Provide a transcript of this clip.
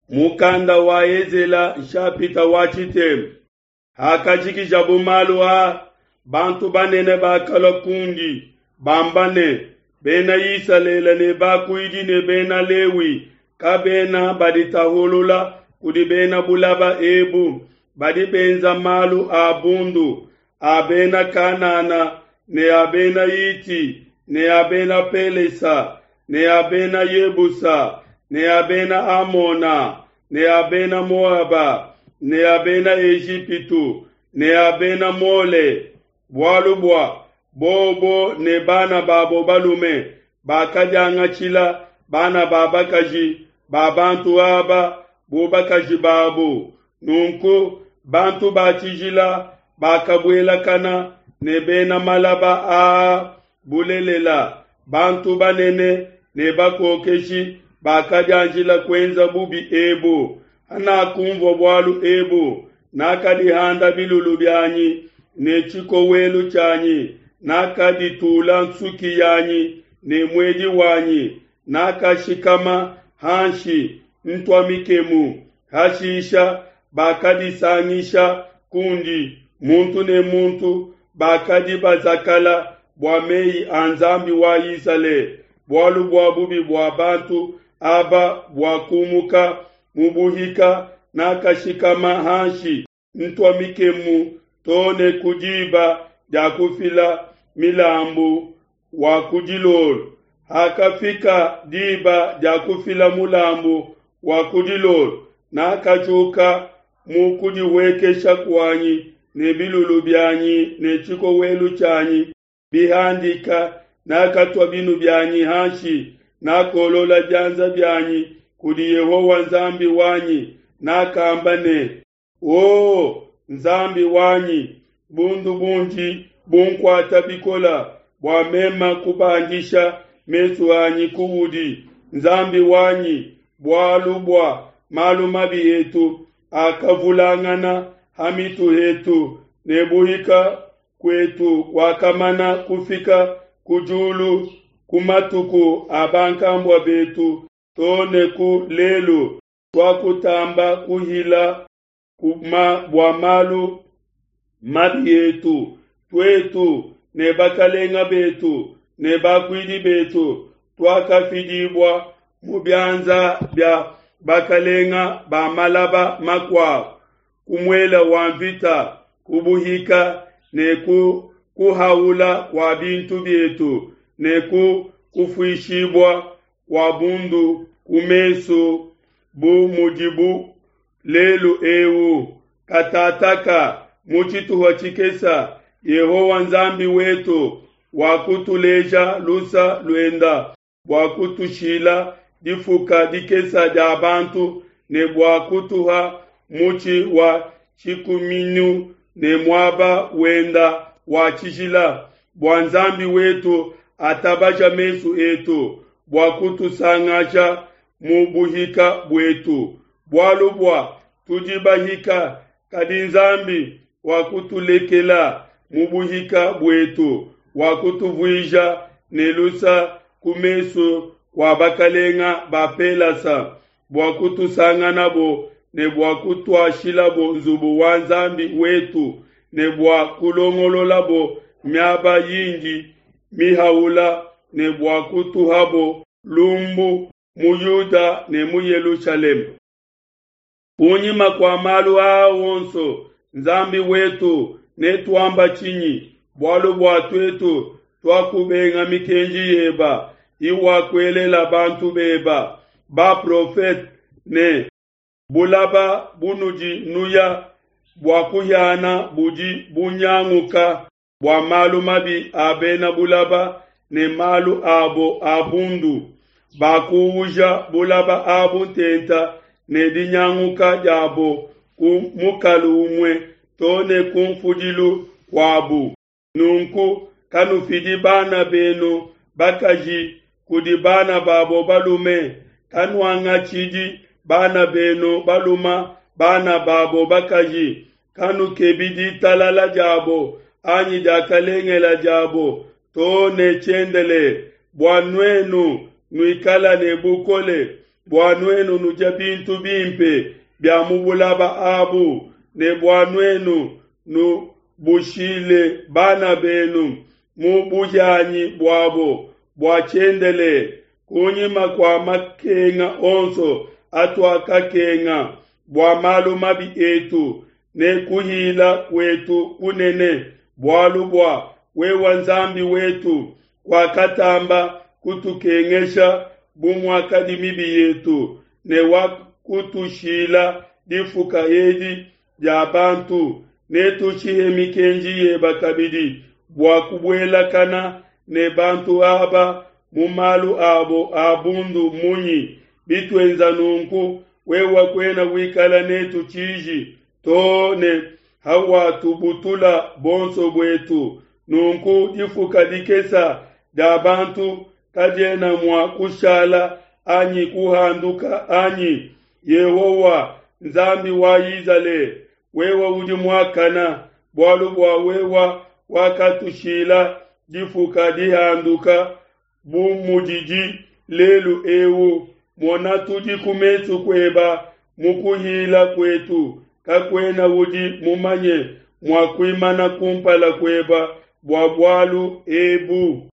Mukanda wa Ezela nshapita wa tshitema. Hakajikijabo malu a, bantu banene bakalua kundi, bamba ne, Bena Isalele ne bakuidi ne Bena Lewi kabena baditahulula kudi bena bulaba ebu, badi benza malu a bundu a Bena Kanana ne a Bena Hiti ne a Bena Pelesa ne a Bena Yebusa ne a Bena Amona ne a Bena Moaba ne a Bena Ejipitu ne a Bena Mole, bualu bua bobo ne bana babo balume bakadiangatshila bana ba bakaji ba bantu aba bu bakaji babu. Nunku bantu ba tshijila bakabuelakana ne bena malaba aa. Bulelela, bantu banene ne bakokeshi bakadianjila kuenza bubi ebu. Hanakunvua bualu ebu, nakadihanda bilulu bianyi ne tshikowelu tshianyi, nakaditula nsuki yanyi ne muedi wanyi, nakashikama hanshi ntua mikemu. Hashisha bakadisangisha kundi, muntu ne muntu, bakadi bazakala bua mei a Nzambi wa Isalele, bualu bua bubi bua bantu aba buakumuka mu buhika. Nakashikama hanshi ntua mikemu to ne ku diba dia kufila milambu wa ku dilolo. Hakafika diba dia kufila mulambu wa ku dilolo, nakajuka mu kudihuekesha kuanyi ne bilulu bianyi ne tshikowelu tshianyi bihandika, nakatua binu bianyi hanshi, nakolola bianza bianyi kudi Yehowa Nzambi wanyi, nakamba ne, O Nzambi wanyi, bundu bundi bunkuata bikola bua mema kubandisha mesu anyi kuudi, Nzambi wanyi, bualu bua malu mabi etu akavulangana ha mitu hetu, ne buhika kuetu kuakamana kufika ku diulu ku matuku a bankambua betu to ne ku lelu. Tuakutamba kuhila bua malu mabi etu, tuetu ne bakalenga betu ne bakuidi betu tuakafidibua mu bianza bia bakalenga ba malaba makuabo, ku muele wa mvita, ku buhika ne ku kuhaula kua bintu bietu ne ku kufuishibua kua bundu ku mesu bu mudibu lelu eu. Katataka mu tshituha tshikesa Yehowa Nzambi wetu wakutuleja lusa luenda bua kutushila difuka dikesa dia bantu ne bua kutuha mutshi wa tshikuminu ne muaba wenda wa tshijila, bua Nzambi wetu atabaja mesu etu bua kutusangasha mu buhika buetu, bualu bua tudi bahika, kadi Nzambi wakutulekela mu buhika buetu, wakutuvuija ne lusa ku mesu kua bakalenga ba Pelasa, bua kutusanganabo ne bua kutuashilabo nzubu wa Nzambi wetu ne bua kulongololabo miaba yindi mihaula ne bua kutuhabo lumbu mu Yuda ne mu Yelushalema. Kunyima kua malu aa onso, Nzambi wetu, netuamba tshinyi? Bualu bua tuetu tuakubenga mikenji yeba iwakuelela bantu beba baprofete ne, Bulaba bunudi nuya bua kuhiana budi bunyanguka bua malu mabi a bena bulaba ne malu abo a bundu. Bakuuja bulaba abu ntenta ne dinyanguka diabo ku mukalu umue to ne ku mfudilu kuabu. Nunku kanufidi bana benu bakaji kudi bana babo balume, kanuangatshidi bana benu baluma bana babo bakaji, kanukebi ditalala diabo anyi diakalengela diabo to ne tshiendelele, bua nuenu nuikala ne bukole. Bua nuenu nudia bintu bimpe bia mu bulaba abu, ne bua nuenu nubushile bana benu mu buhianyi buabo bua tshiendelele, kunyima kua makenga onso atuakakenga bua malu mabi etu ne kuhila kuetu kunene, bualu bua wewe Nzambi wetu kuakatamba kutukengesha bu muakadi mibi yetu, ne wakutushila difuka edi dia bantu. Netushihe mikenji yeba kabidi bua kubuelakana ne bantu aba mu malu abo a bundu munyi? Bituenza nunku, wewe kuena wikala netu tshiji to ne hawatubutula bonso buetu. Nunku difuka dikesa dia bantu kadiena mua kushala anyi kuhanduka anyi? Yehowa, Nzambi wa Izalele, wewe udi muakana, bualu bua wewe wakatushila difuka dihanduka bu mudidi lelu eu. Mona, tudi ku mesu kueba mu kuhila kuetu, kakuena udi mumanye mua kuimana kumpala kueba bua bualu ebu.